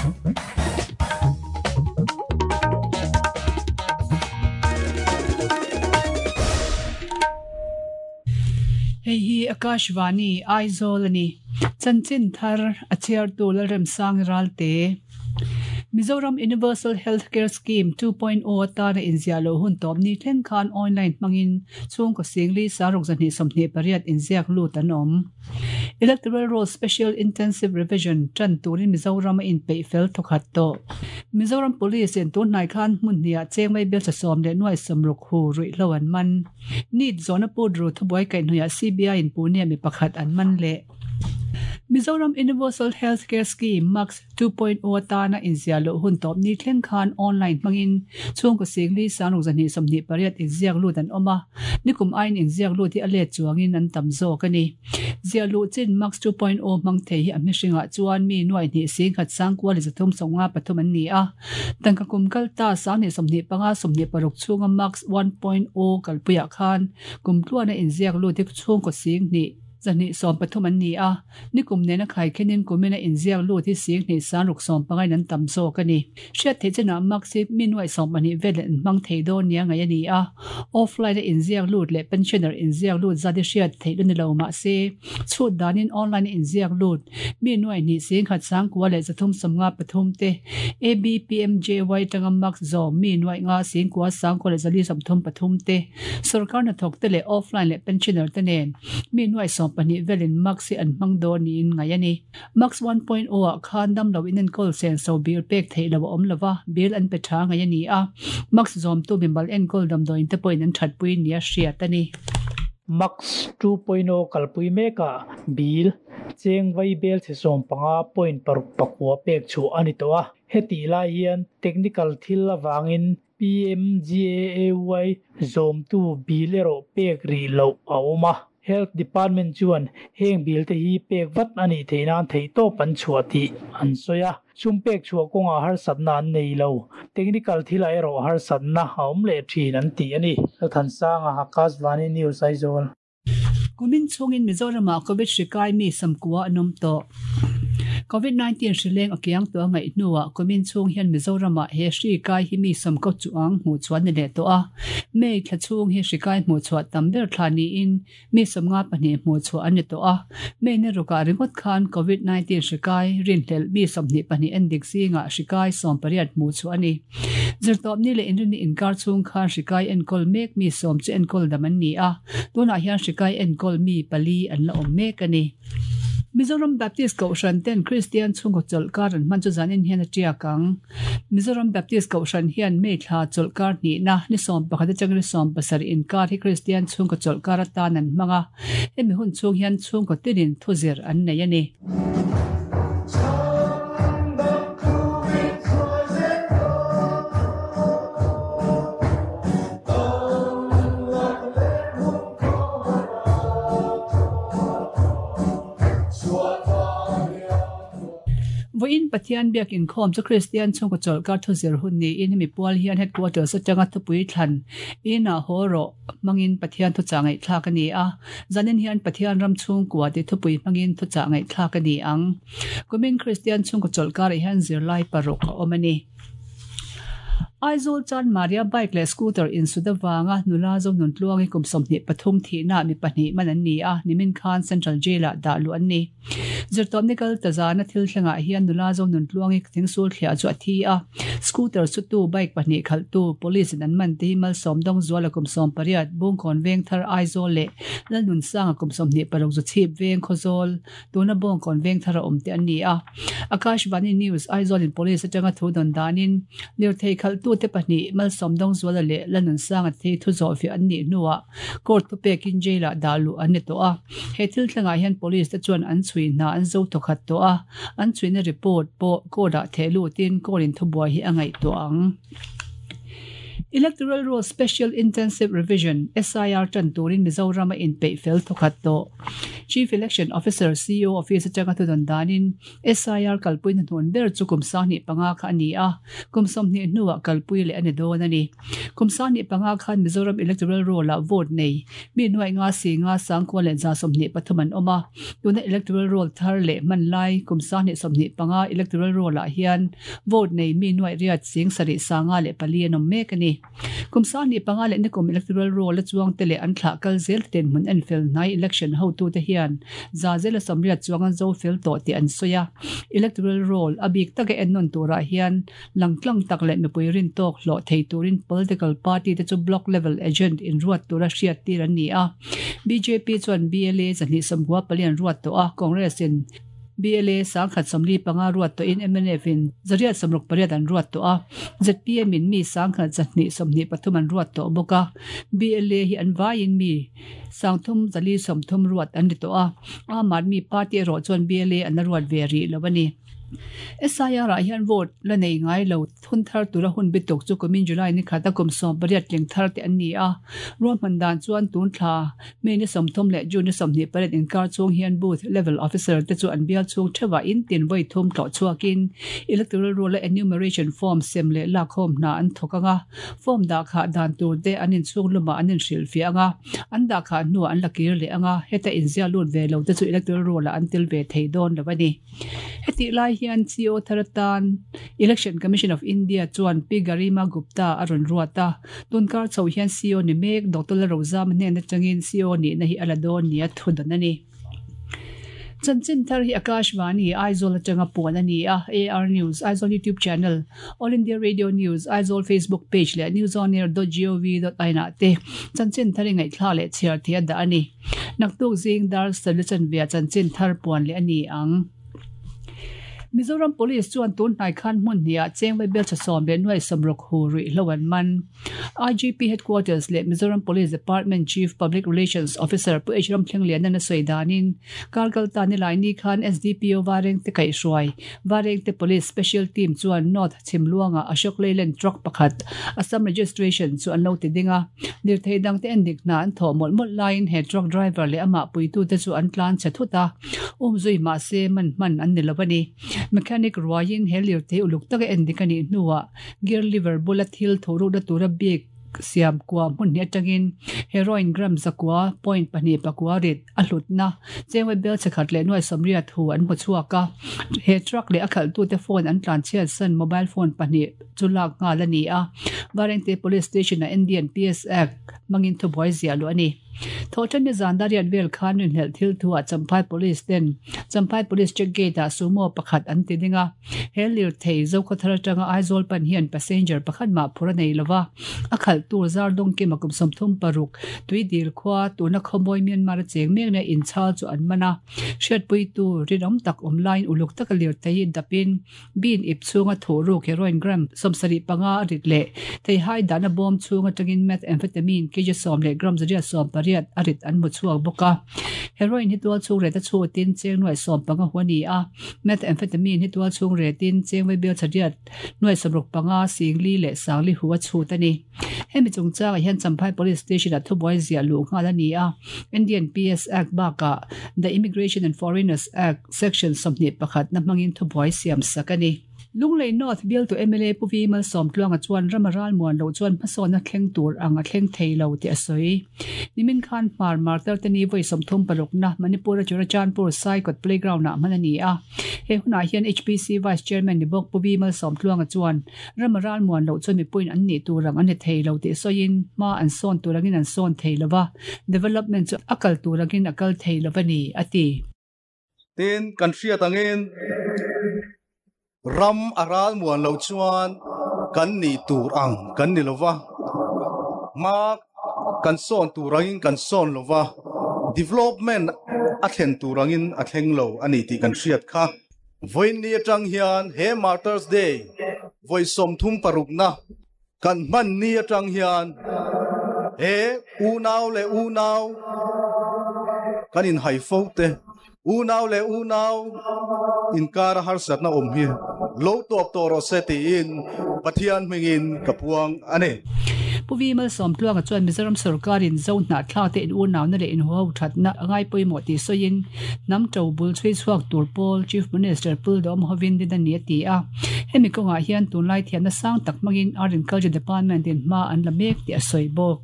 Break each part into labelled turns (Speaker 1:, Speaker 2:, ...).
Speaker 1: Hei hi Akashvani, Aizawl a ni. Chanchin thar a chhiartu Lalremsangi Ralte. Mizoram Universal Health Care Scheme 2.0 atana inziah loh hun tawp ni thleng khan online hmangin chhungkaw singli saruk 228 inziak lut an awm. Electoral Roll Special Intensive Revision tan turin Mizoram a inpeih fel thawkhat tawh. Mizoram Police in tun hnai khan hmun hniah chengmei bel chasawm leh nuai sawmruk hu ruihhlo an man. NEET zawhna put ru thubuai kaihhnawihah CBI in Pune mi pakhat an man leh. Mizoram Universal Health Care Scheme, MUCS, 2.0 atana inziah loh hun tawp ni thleng khan online hmangin chhungkaw singli sangruk 228 inziak lut an awm a, nikum aiin inziak lut hi a let chuangin an tam zawk a ni. Ziah luh chin MUCS 2.0 hmang thei hi a hmihringah chuan mi nuai hnih singkhat sangkua leh 353 an ni a, tangka kum kal ta 2025 26 chhunga MUCS 1.0 kalpuiah khan kum tluana inziak lut hi chhungkaw sing hnih 230 an ni a, nikum nena khaikhenin kumina inziak lut hi sing hnih sangruk sawmpangain an tam zawk a ni. Hriat theih chinah Max hi mi nuaih sawmpahnih velin an hmang thei dawn nia ngaih a ni a, offline a inziak lut leh pensioner inziak lut zat hi hriat theih la ni lo mah se, chhut danin online a inziak lut mi nuaih hnih sing khat sangkua leh 353 te ABPMJY tanga Max zawm mi nuaih nga singkua sangkua leh 433 te Sorkar hnathawk te leh offline leh pensioner te nen mi nuai 12 velin Max hi an hmang dawn niin ngaih a ni. Max 1.0 ah khan damlo inenkawl senso bill pek theih lo a awm lova, bill an pe tha ngaih a ni a. Max zawmtu mimal enkawl damdawiin te pawhin an thatpui nia hriat a ni.
Speaker 2: Max 2.0 kalpui mekah bill cheng vai bel chhe 15.6 pek chhuah a ni tawh a. Hetih lai hian technical thil avangin PMGAAY zawmtu bill erawh pek rih loh a awm a. Health Department chuan heng bill te hi pek vat a nih theih nan theihtawp an chhuah tih an sawi a. Sum pek chhuah kawngah harsatna an nei lo. Technical thilah erawh harsatna a awm leh thin an ti a ni. Lalthansanga, Akashvani News, Aizawl.
Speaker 1: Kumin chhungin Mizoramah Covid hri kai mi samkua an awm tawh. Covid 19 hri leng a kiang tawh a ngaih hnuah kumin chhung hian Mizoramah he hri kai hi mi samkaw chuang hmuh chhuah ni leh tawh a. May thla chhung hi hri kai hmuh chhuah tam ber thla niin mi 52 hmuh chhuah an ni tawh a. May ni rukah ringawt khan Covid 19 hri kai rinhlelh mi 22 endik zingah hri kai 18 hmuh chhuah a ni. Zirtawpni leh inrinni inkar chhung khan hri kai enkawl mek mi sawm chu enkawl dam an ni a, tunah hian hri kai enkawl mi pali an la awm mek a ni. Mizoram Baptist Kohhran ten Kristian chhungkaw chawlhkar an hman chu zanin hian a tiak ang. Mizoram Baptist Kohhran hian May thla chawlhkar hnihna ni 11 atanga ni 17 inkar hi Kristian chhungkaw chawlhkar atan an hmang a, hemi hun chhung hian chhungkaw tinin thuzir an nei a ni. Vawiin Pathian biak inkhawm chu Kristian chhungkaw chawlhkar thuzir hun niin hemi pual hian headquarters atanga thupui thlan inah haw rawh hmangin Pathian thuchah ngaihthlak a ni a. Zanin hian Pathian ram chhungkua tih thupui hmangin thuchah ngaihthlak a ni ang. Kumin Kristian chhungkaw chawlhkarah hian zirlai paruk a awm a ni. Aizawl chuan Maria bike leh scooter insut avanga nula Zonuntluangi kum 23 thihnaah mi pahnih man an ni a, nimin khan Central Jail-ah dah luh an ni. Zirtawpni kal ta zana thil thlengah hian nula Zonuntluangi thingsul thliah chu a thi a, scooter sutu bike pahnih khalhtu police in an man te hi Malsawm Dawngzuala kum 18, Bungkawn Vengthar Aizawl leh Lalnunsanga kum 26 Zuchhip Veng Khawzawl Tuna Bawngkawn Vengthar a awm te an ni a. Akashvani News, Aizawl in Police atanga thu dawn danin lirthei khalhtute pahnih Malsawm Dawngzuala leh Lanunsanga te hi thu zawhfiah an nih hnuah court thupekin jail ah dah luh an ni tawh a. He thil thlengah hian police te chuan an chhui hna an zo thawkhat tawh a, an chhuina report pawh court ah theh lutin court in thubuai hi a ngaihtuah ang. Electoral Roll Special Intensive Revision, SIR, tan turin Mizoram a inpeih fel thawkhat tawh. Chief Election Officer, CEO, Office atanga thudawn danin SIR kalpui hnahnun ber chu kum 25 kha a ni a, kum 20 hnuah kalpui leh a ni dawn a ni. Kum 25 khan Mizoram Electoral Roll-ah vote nei mi nuaih nga si nga sangkua leh 123 an awm a, tuna Electoral Roll thar leh hman lai kum 2025 Electoral Roll-ah hian vote nei mi nuaih riat sing sarih sanga leh pali an awm mek a ni. Kum 25 leh nikum Electoral Roll a chuangte leh an thlah kal zel te dinhmun en fel hnai election hotute hian za zela 80 chuang an zo fel tawh tih an sawi a. Electoral Roll a bik taka ennawn turah hian langtlang tak leh mipui rin tawk hlawh thei turin political party te chu block level agent inruat tura hriat tir an ni a. Bjp chuan BLA 294 an ruat tawh a, Congress in BLA 145 ruat tawhin mnf in 168 an ruat tawh a, zpm in mi 1,223 an ruat tawh bawk a, BLA hi an vaiin mi 3,430 ruat an ni tawh a, Aam Aadmi Party erawh chuan BLA an la ruat ve rih lo a ni. SIR ah hian vote la nei ngai lo thun thar tura hun bituk chu kumin July ni khata kum 18 tling thar te an ni a. Ruahman dan chuan tun thla May ni 30 leh June ni 28 inkar chhung hian Booth Level Officer te chu an bial chhung theuhah in tin vawi thum tlawh chhuakin Electoral Roll a Enumeration Form sem leh lakkhawm hna an thawk ang a, form dah khah dan tur te an inchhung lumah an inhrilhfiah ang a, an dah khah hnuah an la kir leh ang a, heta inziah lut ve lo te chu Electoral Roll ah an tel ve thei dawn lo a ni. Hetih lai hian CO thar atan Election Commission of India chuan Pi Garima Gupta a rawn ruat a, tunkar chho hian CO ni mek Doctor Lalrozama hnen atangin CO nihna hi a la dawn nia thu dawn a ni. Chanchin thar hi Akashvani, Aizawl atanga puan a ni a, AR News, Aizawl YouTube channel, All India Radio News, Aizawl Facebook page leh newsonair.gov.in ah te chanchin thar i ngaihthla leh chhiar thei a dah a ni. Naktuk zing dar sarih chanve ah chanchin thar puan leh a ni ang. Mizoram Police chuan tun hnai khan hmun hnih ah cheng vaibel tha sawm leh nuai sawmruk hu ruihhlo an man. IGP Headquarters leh Mizoram Police Department Chief Public Relations Officer Pu H Ramthlengliana sawi danin Karkal ta nilai ni khan SDPO Varengte kaihhruai Varengte Police Special Team chuan North Chhimluangah Ashok Leyland truck pakhat Assam registration chu an lo ti ding a. Lirthei dangte en dik hna an thawh mawlh mawlh laiin he truck driver leh amah puitute chu an tlan chhe thut a, umzui mahse man hman an ni lo a ni. Mechanic ruaiin he lirthei uluk taka en dik a nih hnuah gear lever bula thil thawhrukna tura bik siam kua hmun hnih atangin heroin gram zakua point pahnih pakua rit a hlutna chengwe bel chhe khat leh nuai 80 thu an hmu chhuak a. He truck leh a khalhtute phone an tlan chhiat san mobile phone pahnih chu lak nghal a ni a, Varengte Police Station-ah Indian PS Act hmangin thubuai ziah luh a ni. Thawhṭanni zan dariat vel khan rinhlelh thil thuah Champhai Police ten Champhai Police Check Gate-ah Sumo pakhat an ti ding a, he lirthei Zokhawthar atanga Aizawl pan hian passenger pakhat mah phur a nei lova, a khalh tur zar dawngkim a kum 36 tui dil khua tuna khawmawi Myanmar a cheng mek nia inchhal chu an man a, hriatpuitu rinawm tak awm laiin uluk taka lirthei hi dapin Bin ip chhunga thuh ruk heroin gram 75 a rit leh theihai dahna bawm chhung atangin methamphetamine kg 10 leh gram 180 a rit an hmu chhuak bawk a. Heroin hi tual chhung ret a chhutin cheng nuai 15 hu a ni a, methamphetamine hi tual chhung retin cheng vaibel chariat nuai 65 singli leh sangli hu a chhut a ni. Hemi chungchangah hian Champhai Police Station-ah thubuai ziah luh nghal a ni a, Indian PS Act bakah The Immigration and Foreigners Act, Section 21 na hmangin thubuai siam sak a ni. Lunglei North bialtu mla Pu Vi Malsawmtluanga chuan ram a ral muan loh chuan hmasawnna thleng tur ang a thleng thei lo tih a sawi. Nimin khan Hmar Martar te ni vawi 36 na Manipur a Churachandpur Saikawt Playground ah hman a ni a. He hunah hian HPC Vice Chairman ni bawk Pu Vi Malsawmtluanga chuan ram a ral muan loh chuan mipuiin an nih tur ang an ni thei lo tih sawiin hma an sawn tur angin an sawn thei lo va, development chu a kal tur angin a kal thei lo a ni, a ti.
Speaker 3: Tin, kan hriat angin ram a ral muan lo chuan kan nih tur ang kan ni lova, hma kan sawn tur angin kan sawn lova, development a thlen tur angin a thleng lo a ni tih kan hriat kha. Vawiin ni atang hian he Martyrs Day vawi 36na kan hman ni atang hian he unau leh unau kan inhai fo te, unau leh unau inkara harsatna awm hi lo tawp tawh rawh se tiin Pathian hmingin ka puang a ni.
Speaker 1: Pu Vi Malsawmtluanga chuan Mizoram sorkarin Zo hnahthlakte in unauna leh inhuho thatna a ngai pawimawh tih sawiin hnam to bul chhui chhuak tur pawl Chief Minister Pu Dawm hovin din a ni a ti a. Hemi kawngah hian tunlai thiamna sang tak hmangin Art and Culture Department in hma an la mek tih a sawi bawk.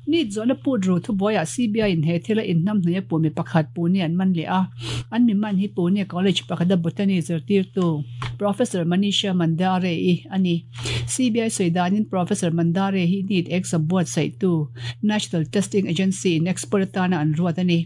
Speaker 1: Nit zawhna put ru thubuaiah CBI in he thila inhnamhnawih a pumi pakhat Pune an man leh a. An mi man hi Pune College pakhata Botany zirtirtu Professor Manisha Mandare-i a ni. CBI sawi danin Professor Mandare hi NEET exam buatsaihtu National Testing Agency in expert atana an ruat a ni.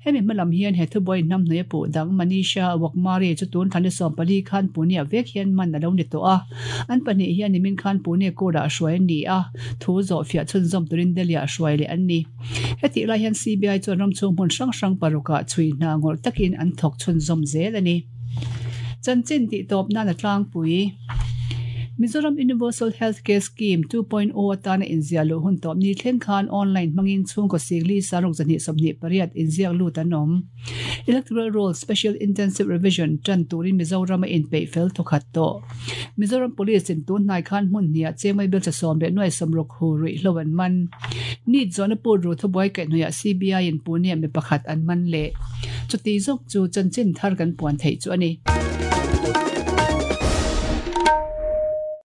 Speaker 1: Hemi hma lam hian he thubuai hnamhnawih a puh dang Manisha Waghmare chu tun thla ni 14 khan Pune-ah vek hian man a lo ni tawh a. An pahnih hian nimin khan Pune court-ah hruai an ni a, thu zawhfiah chhunzawm turin Delhi-ah hruai leh an ni. Hetih lai hian CBI chuan ramchhung hmun hrang hrang parukah chhui hna ngawrh takin an thawk chhunzawm zel a ni. Chanchin tih tawp nan a tlangpui. Mizoram Universal Health Care Scheme 2.0 atana inziah luh hun tawp ni thleng khan online hmangin chhungkaw sikli saruk 128 inziak lut an awm. Electoral Roll Special Intensive Revision tan turin Mizoram a inpeih fel thawkhat tawh. Mizoram Police in tun hnai khan hmun hniah chengmai belcha sawm leh nuai sawmruk hu ruihhlo an man. Nit zawhna put ru thubuai kaihhnawihah CBI in Pune ah mi pakhat an man leh. Chuti zawk chu chanchin thar kan puan theih chu a ni.